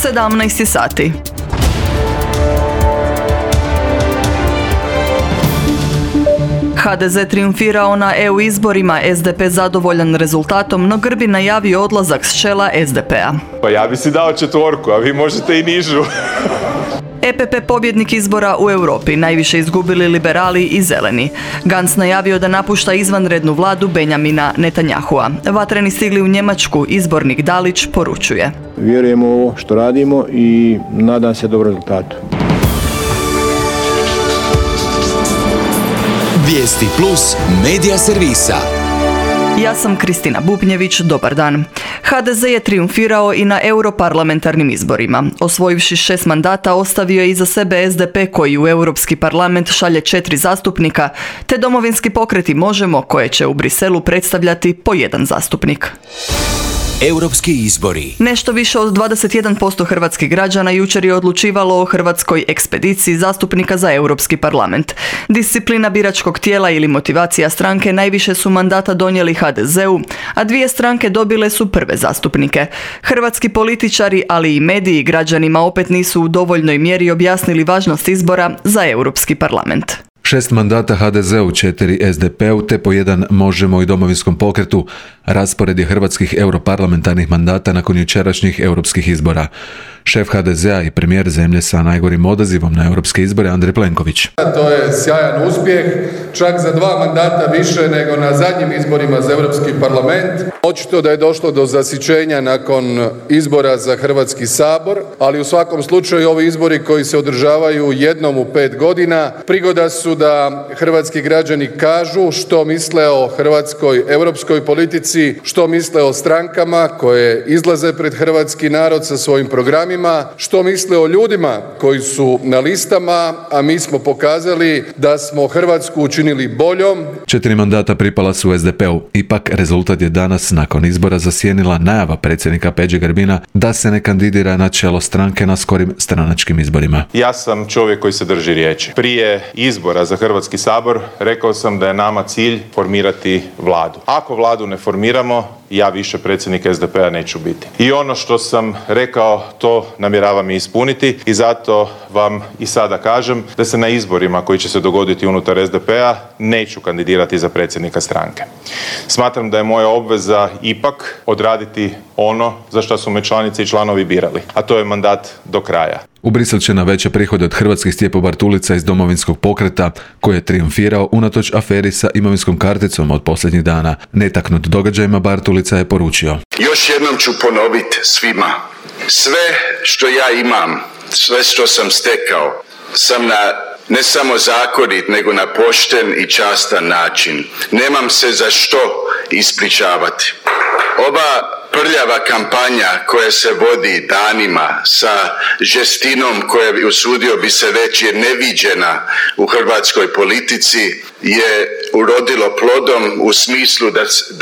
17 sati. HDZ triumfirao na EU izborima, SDP zadovoljan rezultatom, no Grbi najavio odlazak s čela SDP-a. Pa ja bi si dao 4, a vi možete i nižu. EPP pobjednik izbora u Europi, najviše izgubili liberali i zeleni. Gantz najavio da napušta izvanrednu vladu Benjamina Netanjahua. Vatreni stigli u Njemačku, izbornik Dalić poručuje. Vjerujemo u ovo što radimo i nadam se dobrom rezultatu. Vijesti plus medija servisa. Ja sam Kristina Bubnjević, dobar dan. HDZ je triumfirao i na europarlamentarnim izborima. Osvojivši 6 mandata, ostavio je iza sebe SDP koji u Europski parlament šalje 4 zastupnika, te domovinski pokret i Možemo koje će u Briselu predstavljati po 1 zastupnik. Europski izbori. Nešto više od 21% hrvatskih građana jučer je odlučivalo o hrvatskoj ekspediciji zastupnika za Europski parlament. Disciplina biračkog tijela ili motivacija stranke najviše su mandata donijeli HDZ-u, a 2 stranke dobile su prve zastupnike. Hrvatski političari, ali i mediji građanima opet nisu u dovoljnoj mjeri objasnili važnost izbora za Europski parlament. 6 mandata HDZ-u, 4 SDP-u te po 1 Možemo i Domovinskom pokretu. Raspored je hrvatskih europarlamentarnih mandata nakon jučerašnjih europskih izbora. Šef HDZ-a i premijer zemlje sa najgorim odazivom na europske izbore Andrej Plenković. To je sjajan uspjeh, čak za 2 mandata više nego na zadnjim izborima za Europski parlament. Očito da je došlo do zasićenja nakon izbora za Hrvatski sabor, ali u svakom slučaju ovi izbori koji se održavaju jednom u 5 godina prigoda su da hrvatski građani kažu što misle o hrvatskoj europskoj politici, što misle o strankama koje izlaze pred hrvatski narod sa svojim programima, što misle o ljudima koji su na listama, a mi smo pokazali da smo Hrvatsku učinili boljom. 4 mandata pripala su SDP-u. Ipak rezultat je danas nakon izbora zasjenila najava predsjednika Peđe Grbina da se ne kandidira na čelo stranke na skorim stranačkim izborima. Ja sam čovjek koji se drži riječi. Prije izbora za Hrvatski sabor rekao sam da je nama cilj formirati vladu. Ako vladu ne formiramo, ja više predsjednik SDP-a neću biti. I ono što sam rekao, to namjeravam i ispuniti i zato vam i sada kažem da se na izborima koji će se dogoditi unutar SDP-a neću kandidirati za predsjednika stranke. Smatram da je moja obveza ipak odraditi ono za što su me članice i članovi birali, a to je mandat do kraja. U Brisel će na veće prihode od hrvatskih Stjepo Bartulica iz Domovinskog pokreta, koji je triumfirao unatoč aferi sa imovinskom karticom od posljednjih dana. Netaknut događajima, Bartulica je poručio. Još jednom ću ponoviti svima. Sve što ja imam, sve što sam stekao, sam na ne samo zakonit, nego na pošten i častan način. Nemam se za što ispričavati. Ova prljava kampanja koja se vodi danima sa žestinom koja, usudio bi se reći, je neviđena u hrvatskoj politici, je urodilo plodom u smislu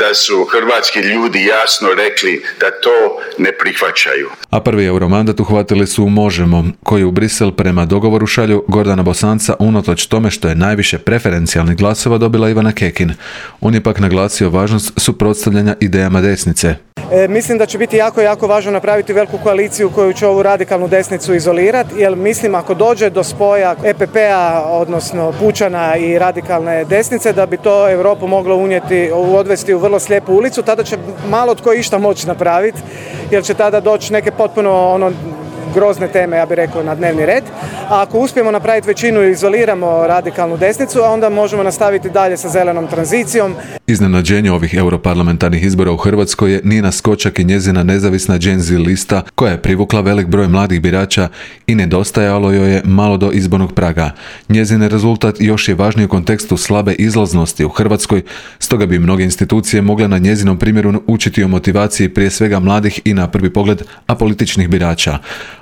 da su hrvatski ljudi jasno rekli da to ne prihvaćaju. A prvi euromandat uhvatili su u Možemo, koji u Brisel prema dogovoru šalju Gordana Bosanca unatoč tome što je najviše preferencijalnih glasova dobila Ivana Kekin. On je pak naglasio važnost suprotstavljanja idejama desnice. Mislim da će biti jako važno napraviti veliku koaliciju koju će ovu radikalnu desnicu izolirati, jer mislim ako dođe do spoja EPP-a, odnosno Pučana i radikalne desnice, da bi to Europu moglo odvesti u vrlo slijepu ulicu, tada će malo tko išta moći napraviti, jer će tada doći neke potpuno grozne teme, ja bih rekao, na dnevni red. A ako uspijemo napraviti većinu i izoliramo radikalnu desnicu, onda možemo nastaviti dalje sa zelenom tranzicijom. Iznenađenje ovih europarlamentarnih izbora u Hrvatskoj je Nina Skočak i njezina nezavisna Gen Z lista, koja je privukla velik broj mladih birača i nedostajalo joj je malo do izbornog praga. Njezin rezultat još je važniji u kontekstu slabe izlaznosti u Hrvatskoj, stoga bi mnoge institucije mogle na njezinom primjeru učiti o motivaciji prije svega mladih i na prvi pogled apolitičnih birača.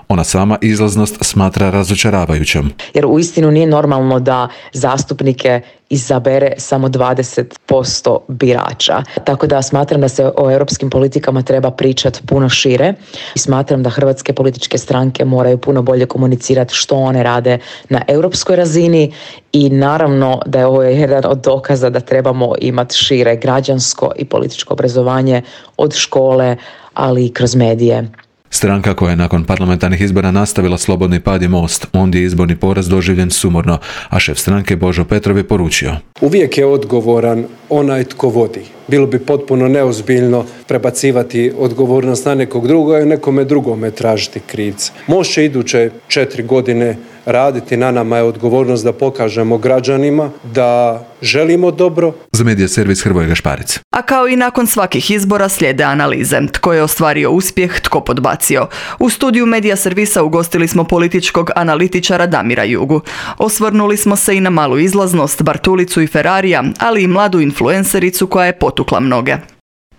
Ona sama izlaznost smatra razočaravajućom. Jer uistinu nije normalno da zastupnike izabere samo 20% birača. Tako da smatram da se o europskim politikama treba pričati puno šire i smatram da hrvatske političke stranke moraju puno bolje komunicirati što one rade na europskoj razini i naravno da je ovo jedan od dokaza da trebamo imati šire građansko i političko obrazovanje od škole, ali i kroz medije. Stranka koja je nakon parlamentarnih izbora nastavila slobodni pad je Most. Ondje je izborni poraz doživljen sumorno, a šef stranke Božo Petrov je poručio: uvijek je odgovoran onaj tko vodi. Bilo bi potpuno neozbiljno prebacivati odgovornost na nekog druga i nekome drugome tražiti krivca. Može iduće 4 godine raditi, na nama je odgovornost da pokažemo građanima da želimo dobro. Za Medija servis Hrvoje Gašparić. A kao i nakon svakih izbora slijede analize. Tko je ostvario uspjeh, tko podbacio. U studiju Medija servisa ugostili smo političkog analitičara Damira Jugu. Osvrnuli smo se i na malu izlaznost, Bartulicu i Ferrarija, ali i mladu influencericu koja je potukla mnoge.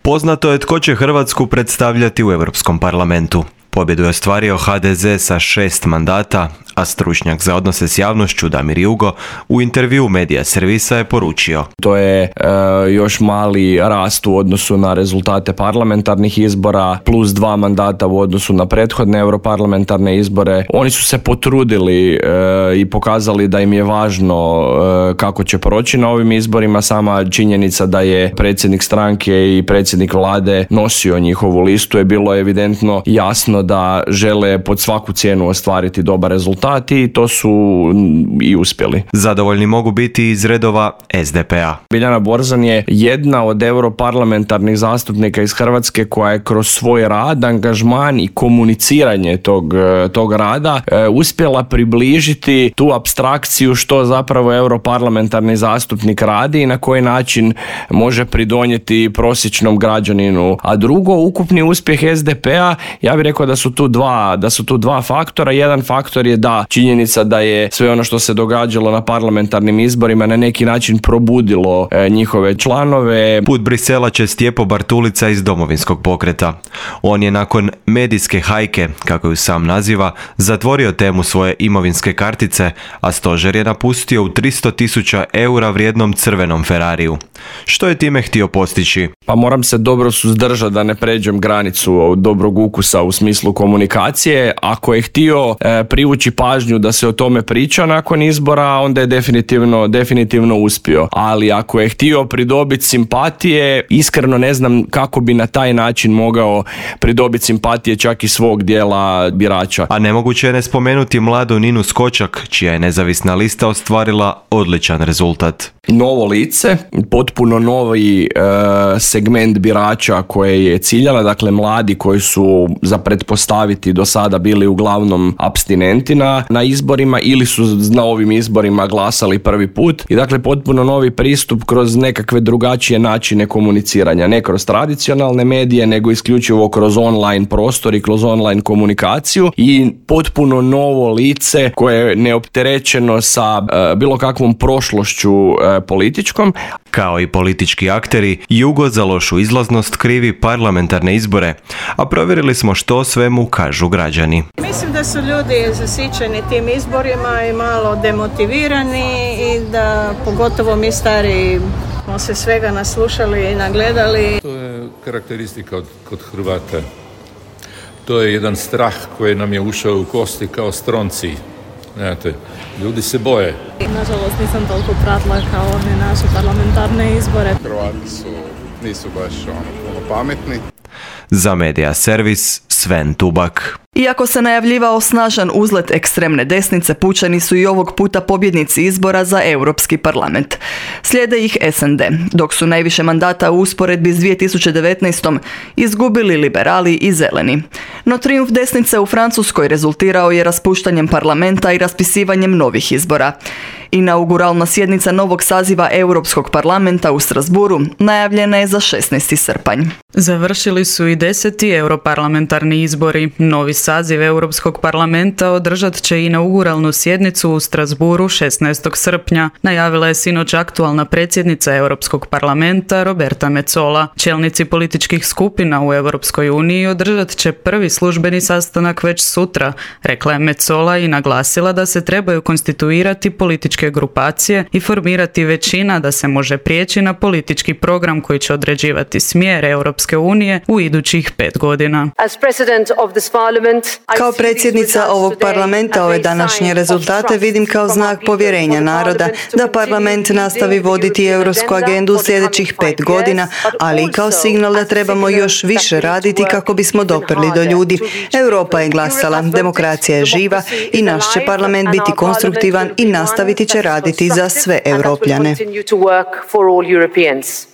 Poznato je tko će Hrvatsku predstavljati u Europskom parlamentu. Pobjedu je ostvario HDZ sa 6 mandata, a stručnjak za odnose s javnošću Damir Jugo u intervju Medija servisa je poručio: to je još mali rast u odnosu na rezultate parlamentarnih izbora, plus 2 mandata u odnosu na prethodne europarlamentarne izbore. Oni su se potrudili i pokazali da im je važno kako će proći na ovim izborima. Sama činjenica da je predsjednik stranke i predsjednik vlade nosio njihovu listu je bilo evidentno jasno da žele pod svaku cijenu ostvariti dobar rezultat i to su i uspjeli. Zadovoljni mogu biti iz redova SDP-a. Biljana Borzan je jedna od europarlamentarnih zastupnika iz Hrvatske koja je kroz svoj rad, angažman i komuniciranje tog rada uspjela približiti tu apstrakciju što zapravo europarlamentarni zastupnik radi i na koji način može pridonijeti prosječnom građaninu. A drugo, ukupni uspjeh SDP-a, ja bih rekao da su tu dva faktora. Jedan faktor je da činjenica da je sve ono što se događalo na parlamentarnim izborima na neki način probudilo njihove članove. Put Brisela će Stjepo Bartulica iz Domovinskog pokreta. On je nakon medijske hajke, kako ju sam naziva, zatvorio temu svoje imovinske kartice, a stožer je napustio u 300.000 eura vrijednom crvenom Ferrariju. Što je time htio postići? Pa moram se dobro suzdržati da ne pređem granicu dobrog ukusa u smislu komunikacije. Ako je htio privući pažnju da se o tome priča nakon izbora, onda je definitivno uspio. Ali ako je htio pridobiti simpatije, iskreno ne znam kako bi na taj način mogao pridobiti simpatije čak i svog dijela birača. A nemoguće je ne spomenuti mladu Ninu Skočak, čija je nezavisna lista ostvarila odličan rezultat. Novo lice, potpuno novi segment birača koje je ciljala, dakle mladi koji su za pretpostaviti do sada bili uglavnom apstinenti na izborima ili su na ovim izborima glasali prvi put i dakle potpuno novi pristup kroz nekakve drugačije načine komuniciranja, ne kroz tradicionalne medije nego isključivo kroz online prostor i kroz online komunikaciju i potpuno novo lice koje je neopterećeno sa bilo kakvom prošlošću političkom. Kao i politički akteri, Jugo za lošu izlaznost krivi parlamentarne izbore, a provjerili smo što svemu kažu građani. Mislim da su ljudi zasićeni tim izborima i malo demotivirani i da pogotovo mi stari smo se svega naslušali i nagledali. To je karakteristika kod Hrvata. To je jedan strah koji nam je ušao u kosti kao stronci. Znate, ljudi se boje. Nažalost nisam toliko pratila kao one naše parlamentarne izbore. Hrvati nisu baš puno pametni. Za Medija servis Sven Tubak. Iako se najavljivao snažan uzlet ekstremne desnice, pučani su i ovog puta pobjednici izbora za Europski parlament. Slijede ih SND, dok su najviše mandata u usporedbi s 2019. izgubili liberali i zeleni. No trijumf desnice u Francuskoj rezultirao je raspuštanjem parlamenta i raspisivanjem novih izbora. Inauguralna sjednica novog saziva Europskog parlamenta u Strasburu najavljena je za 16. srpanj. Završili su i 10. europarlamentarni izbori. Novi saziv Europskog parlamenta održat će inauguralnu sjednicu u Strasburu 16. srpnja, najavila je sinoć aktualna predsjednica Europskog parlamenta Roberta Metsola. Čelnici političkih skupina u Europskoj uniji održat će prvi službeni sastanak već sutra, rekla je Metsola i naglasila da se trebaju konstituirati političke grupacije i formirati većina da se može prijeći na politički program koji će određivati smjer Europske unije u idućih 5 godina. As president of this parliament, Kao predsjednica ovog parlamenta ove današnje rezultate vidim kao znak povjerenja naroda da parlament nastavi voditi europsku agendu u sljedećih 5 godina, ali i kao signal da trebamo još više raditi kako bismo doprli do ljudi. Europa je glasala, demokracija je živa i naš će parlament biti konstruktivan i nastaviti će raditi za sve Europljane.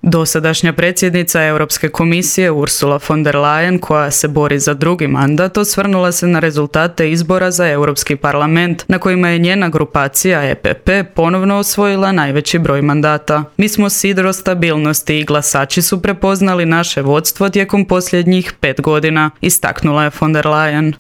Dosadašnja predsjednica Europske komisije Ursula von der Leyen, koja se bori za drugi mandat, osvrnula se na rezultate izbora za Europski parlament, na kojima je njena grupacija EPP ponovno osvojila najveći broj mandata. Mi smo sidro stabilnosti i glasači su prepoznali naše vodstvo tijekom posljednjih 5 godina, istaknula je von der Leyen.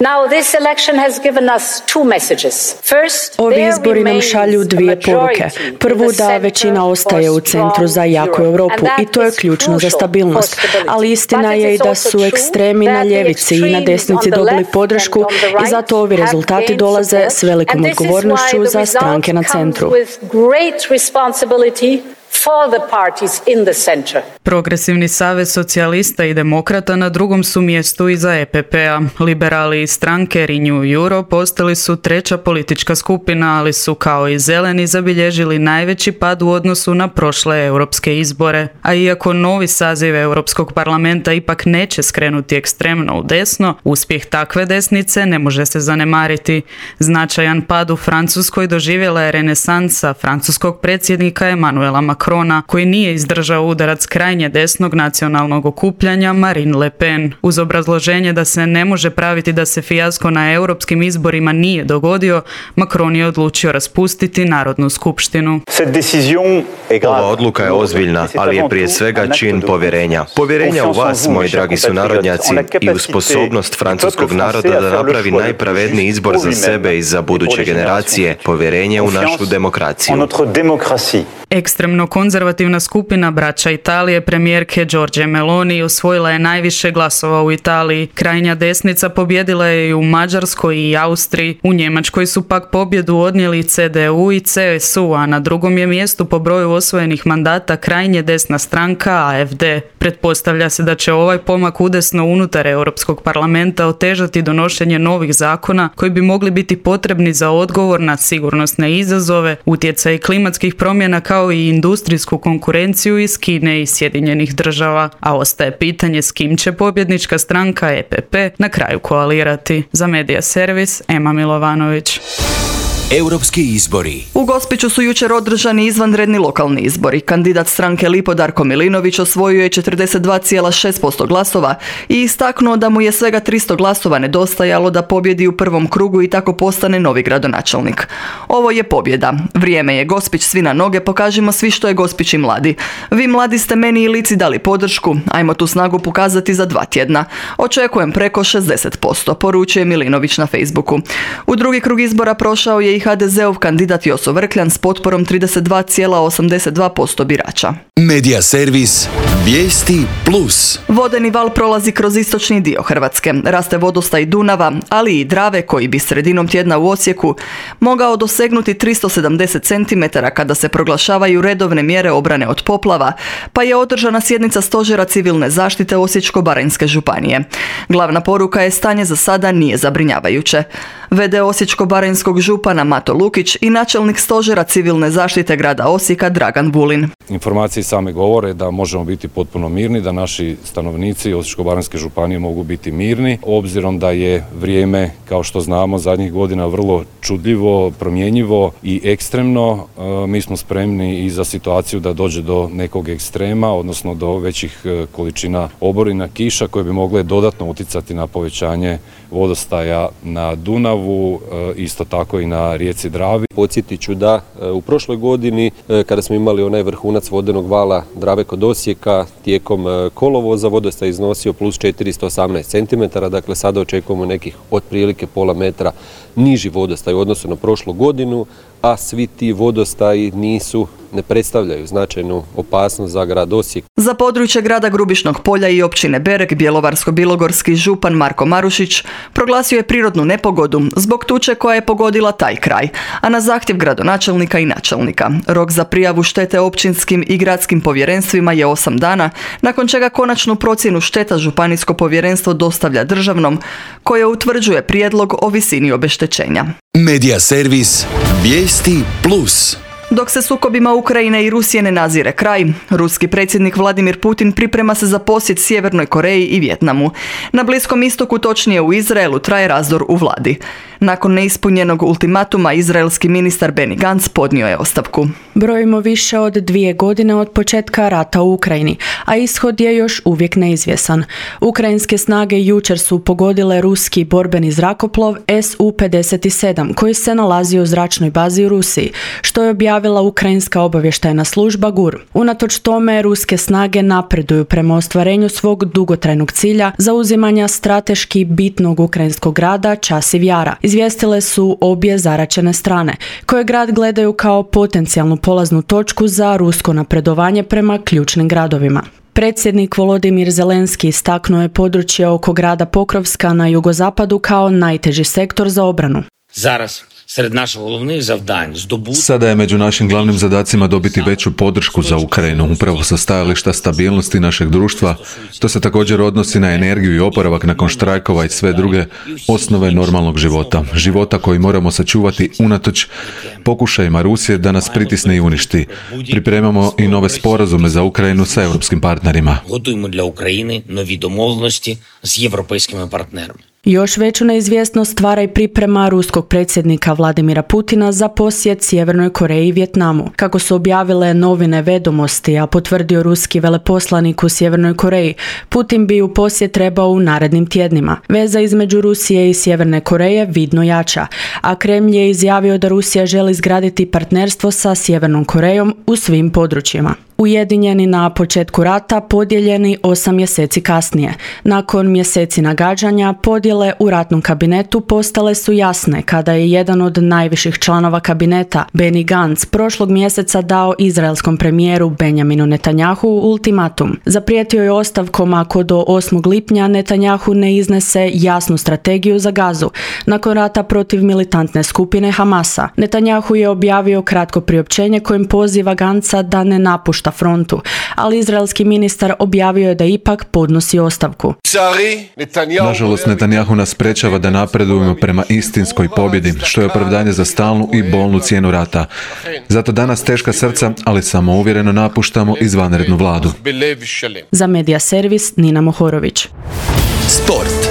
Ovi izbori nam šalju dvije poruke. Prvu, da većina ostaje u centru za jaku Europu i to je ključno za stabilnost. Ali istina je i da su ekstremi na ljevici i na desnici dobili podršku i zato ovi rezultati dolaze s velikom odgovornošću za stranke na centru. Progresivni savez socijalista i demokrata na drugom su mjestu iza EPP-a. Liberali i stranke Renew Europe ostali su treća politička skupina, ali su kao i zeleni zabilježili najveći pad u odnosu na prošle europske izbore. A iako novi saziv Europskog parlamenta ipak neće skrenuti ekstremno u desno, uspjeh takve desnice ne može se zanemariti. Značajan pad u Francuskoj doživjela je renesansa francuskog predsjednika Emmanuela Macrona, koji nije izdržao udarac krajnje desnog nacionalnog okupljanja Marine Le Pen. Uz obrazloženje da se ne može praviti da se fijasko na europskim izborima nije dogodio, Macron je odlučio raspustiti Narodnu skupštinu. Ova odluka je ozbiljna, ali je prije svega čin povjerenja. Povjerenja u vas, moji dragi sunarodnjaci, i u sposobnost francuskog naroda da napravi najpravedniji izbor za sebe i za buduće generacije. Povjerenje u našu demokraciju. Ekstremno konzervativna skupina Braća Italije premijerke Giorgie Meloni osvojila je najviše glasova u Italiji. Krajnja desnica pobjedila je i u Mađarskoj i Austriji. U Njemačkoj su pak pobjedu odnijeli CDU i CSU, a na drugom je mjestu po broju osvojenih mandata krajnje desna stranka AFD. Pretpostavlja se da će ovaj pomak udesno unutar Europskog parlamenta otežati donošenje novih zakona koji bi mogli biti potrebni za odgovor na sigurnosne izazove, utjecaj klimatskih promjena kao i industrijsku konkurenciju iz Kine i Sjedinjenih država, a ostaje pitanje s kim će pobjednička stranka EPP na kraju koalirati. Za Medija Servis, Ema Milovanović. Europski izbori. U Gospiću su jučer održani izvanredni lokalni izbori. Kandidat stranke Lipo Darko Milinović osvojio je 42,6% glasova i istaknuo da mu je svega 300 glasova nedostajalo da pobjedi u prvom krugu i tako postane novi gradonačelnik. Ovo je pobjeda. Vrijeme je, Gospić, svi na noge, pokažimo svi što je Gospić i mladi. Vi mladi ste meni i Lici dali podršku, ajmo tu snagu pokazati za 2 tjedna. Očekujem preko 60%, poručuje Milinović na Facebooku. U drugi krug izbora prošao je i HDZ-ov kandidat Joso Vrkljan s potporom 32,82% birača. Medija servis Vijesti Plus. Vodeni val prolazi kroz istočni dio Hrvatske. Raste vodostaj Dunava, ali i Drave koji bi sredinom tjedna u Osijeku mogao dosegnuti 370 cm kada se proglašavaju redovne mjere obrane od poplava, pa je održana sjednica Stožera civilne zaštite Osječko-baranjske županije. Glavna poruka je stanje za sada nije zabrinjavajuće. VD Osječko-baranjskog župana Mato Lukić i načelnik Stožera civilne zaštite grada Osijeka Dragan Vulin. Informacije same govore da možemo biti potpuno mirni, da naši stanovnici Osječko-baranjske županije mogu biti mirni, obzirom da je vrijeme, kao što znamo, zadnjih godina vrlo čudljivo, promjenjivo i ekstremno. Mi smo spremni i za situaciju da dođe do nekog ekstrema, odnosno do većih količina oborina, kiša koje bi mogle dodatno utjecati na povećanje vodostaja na Dunavu, isto tako i na rijeci Dravi. Podsjetit ću da u prošloj godini, kada smo imali onaj vrhunac vodenog vala Drave kod Osijeka, tijekom kolovoza vodostaj iznosio plus 418 cm, dakle sada očekujemo nekih otprilike pola metra niži vodostaj u odnosu na prošlu godinu, a svi ti vodostaji nisu ne predstavljaju značajnu opasnost za grad Osijek. Za područje grada Grubišnog Polja i općine Berek bjelovarsko-bilogorski župan Marko Marušić proglasio je prirodnu nepogodu zbog tuče koja je pogodila taj kraj, a na zahtjev gradonačelnika i načelnika. Rok za prijavu štete općinskim i gradskim povjerenstvima je 8 dana, nakon čega konačnu procjenu šteta županijsko povjerenstvo dostavlja državnom, koje utvrđuje prijedlog o visini obeštećenja. Medija servis Vijesti Plus. Dok se sukobima Ukrajine i Rusije ne nazire kraj, ruski predsjednik Vladimir Putin priprema se za posjet Sjevernoj Koreji i Vijetnamu. Na Bliskom istoku, točnije u Izraelu, traje razdor u vladi. Nakon neispunjenog ultimatuma, izraelski ministar Benny Gantz podnio je ostavku. Brojimo više od 2 godine od početka rata u Ukrajini, a ishod je još uvijek neizvjesan. Ukrajinske snage jučer su pogodile ruski borbeni zrakoplov Su-57 koji se nalazi u zračnoj bazi u Rusiji, što je objavila ukrajinska obavještajna služba GUR. Unatoč tome, ruske snage napreduju prema ostvarenju svog dugotrajnog cilja zauzimanja strateški bitnog ukrajinskog grada Časiv Jara. Izvijestile su obje zaraćene strane, koje grad gledaju kao potencijalnu polaznu točku za rusko napredovanje prema ključnim gradovima. Predsjednik Volodimir Zelenski istaknuo je područje oko grada Pokrovska na jugozapadu kao najteži sektor za obranu. Sada je među našim glavnim zadacima dobiti veću podršku za Ukrajinu, upravo sa stajališta stabilnosti našeg društva. To se također odnosi na energiju i oporavak nakon štrajkova i sve druge osnove normalnog života. Života koji moramo sačuvati unatoč pokušajima Rusije da nas pritisne i uništi. Pripremamo i nove sporazume za Ukrajinu sa europskim partnerima. Još veću neizvjesnost stvara i priprema ruskog predsjednika Vladimira Putina za posjet Sjevernoj Koreji i Vijetnamu. Kako su objavile novine Vedomosti, a potvrdio ruski veleposlanik u Sjevernoj Koreji, Putin bi u posjet trebao u narednim tjednima. Veza između Rusije i Sjeverne Koreje vidno jača, a Kremlj je izjavio da Rusija želi izgraditi partnerstvo sa Sjevernom Korejom u svim područjima. Ujedinjeni na početku rata, podijeljeni 8 mjeseci kasnije. Nakon mjeseci nagađanja, podjele u ratnom kabinetu postale su jasne kada je jedan od najviših članova kabineta, Benny Gantz, prošlog mjeseca dao izraelskom premijeru Benjaminu Netanjahu ultimatum. Zaprijetio je ostavkom ako do 8. lipnja Netanjahu ne iznese jasnu strategiju za Gazu, nakon rata protiv militantne skupine Hamasa. Netanjahu je objavio kratko priopćenje kojim poziva Gantza da ne napušta frontu, ali izraelski ministar objavio je da ipak podnosi ostavku. Nažalost, Netanjahu nas sprečava da napredujemo prema istinskoj pobjedi, što je opravdanje za stalnu i bolnu cijenu rata. Zato danas teška srca, ali samouvjereno napuštamo izvanrednu vladu. Za Medija servis Nina Mohorović. Sport.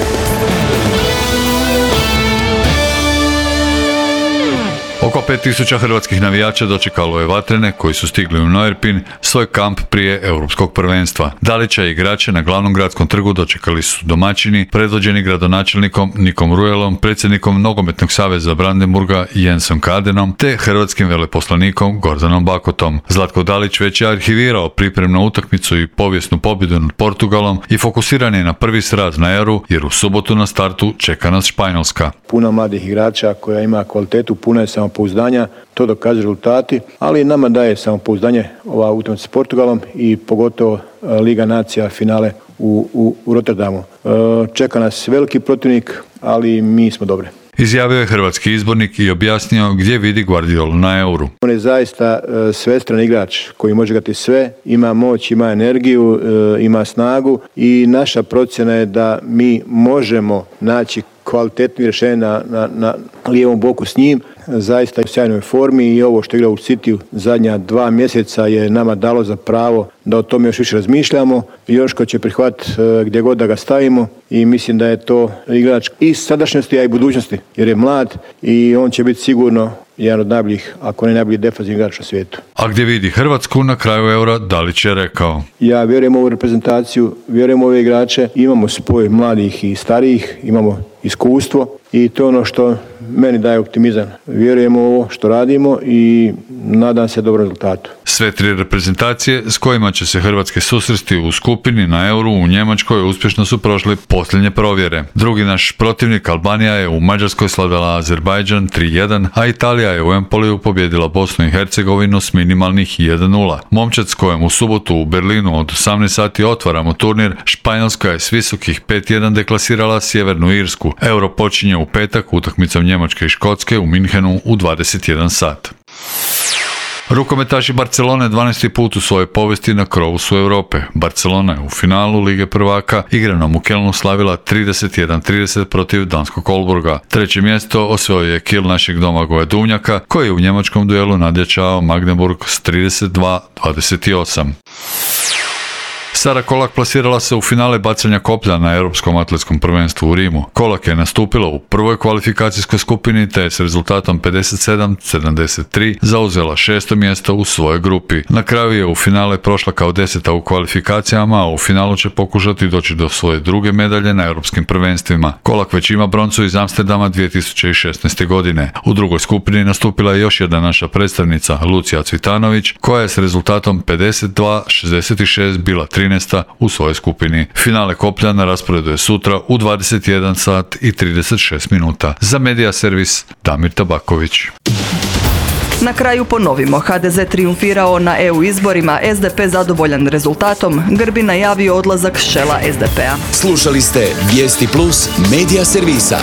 Oko 5000 hrvatskih navijača dočekalo je Vatrene koji su stigli u Neuerpin svoj kamp prije europskog prvenstva. Dalića i igrače na glavnom gradskom trgu dočekali su domaćini, predvođeni gradonačelnikom Nikom Rujelom, predsjednikom Nogometnog saveza Brandenburga Jensom Kadenom te hrvatskim veleposlanikom Gordanom Bakotom. Zlatko Dalić već je arhivirao pripremnu utakmicu i povijesnu pobjedu nad Portugalom i fokusiran je na prvi sraz na Euru jer u subotu na startu čeka nas Španjolska. Puno mladih igrača koja ima kvalitetu, puno je samopouzdanja, to dokazuju rezultati, ali nama daje samopouzdanje ova utakmica s Portugalom i pogotovo Liga nacija finale u Rotterdamu. Čeka nas veliki protivnik, ali mi smo dobri. Izjavio je hrvatski izbornik i objasnio gdje vidi Guardiolu na Euru. On je zaista svestran igrač koji može igrati sve, ima moć, ima energiju, ima snagu i naša procjena je da mi možemo naći kvalitetno rješenje na lijevom boku s njim. Zaista je u sjajnoj formi i ovo što igra u Cityu zadnja 2 mjeseca je nama dalo za pravo da o tome još više razmišljamo i još ko će prihvatiti gdje god da ga stavimo i mislim da je to igrač i sadašnjosti, a i budućnosti jer je mlad i on će biti sigurno jedan od najboljih, ako ne najbolji defanzivni igrač na svijetu. A gdje vidi Hrvatsku na kraju Eura, Dalić je rekao: Ja vjerujem u ovu reprezentaciju, vjerujem u ove igrače, imamo spoj mladih i starijih, imamo iskustvo i to je ono što meni daje optimizam. Vjerujemo u ovo što radimo i nadam se dobrom rezultatu. Sve tri reprezentacije s kojima će se Hrvatske susresti u skupini na Euru u Njemačkoj uspješno su prošli posljednje provjere. Drugi naš protivnik Albanija je u Mađarskoj slavila Azerbajdžan 3-1, a Italija je u Empoliju pobjedila Bosnu i Hercegovinu s minimalnih 1-0. Momčad s kojim u subotu u Berlinu od 18 sati otvaramo turnir, Španjolska je s visokih 5-1 deklasirala Sjevernu Irsku. Euro počinje u petak utakmicom Njemačke i Škotske u Minhenu u 21 sat. Rukometaši Barcelone 12. put u svojoj povijesti na krovu su Europe. Barcelona je u finalu Lige prvaka igranom u Kelnu slavila 31-30 protiv danskog Aalborga. Treće mjesto osvojio je Kiel našeg Domagoja Duvnjaka, koji je u njemačkom duelu nadjačao Magdeburg s 32-28. Sara Kolak plasirala se u finale bacanja koplja na Europskom atletskom prvenstvu u Rimu. Kolak je nastupila u prvoj kvalifikacijskoj skupini te je s rezultatom 57-73 zauzela 6. mjesto u svojoj grupi. Na kraju je u finale prošla kao 10. u kvalifikacijama, a u finalu će pokušati doći do svoje druge medalje na Europskim prvenstvima. Kolak već ima broncu iz Amsterdama 2016. godine. U drugoj skupini nastupila je još jedna naša predstavnica, Lucija Cvitanović, koja je s rezultatom 52-66 bila 13. u svojoj skupini. Finale koplja na rasporedu je sutra u 21 sat i 36 minuta. Za Medija servis Damir Tabaković. Na kraju ponovimo, HDZ triumfirao na EU izborima, SDP zadovoljan rezultatom, Grbin najavio odlazak s čela SDP-a. Slušali ste Vijesti Plus Medija servisa.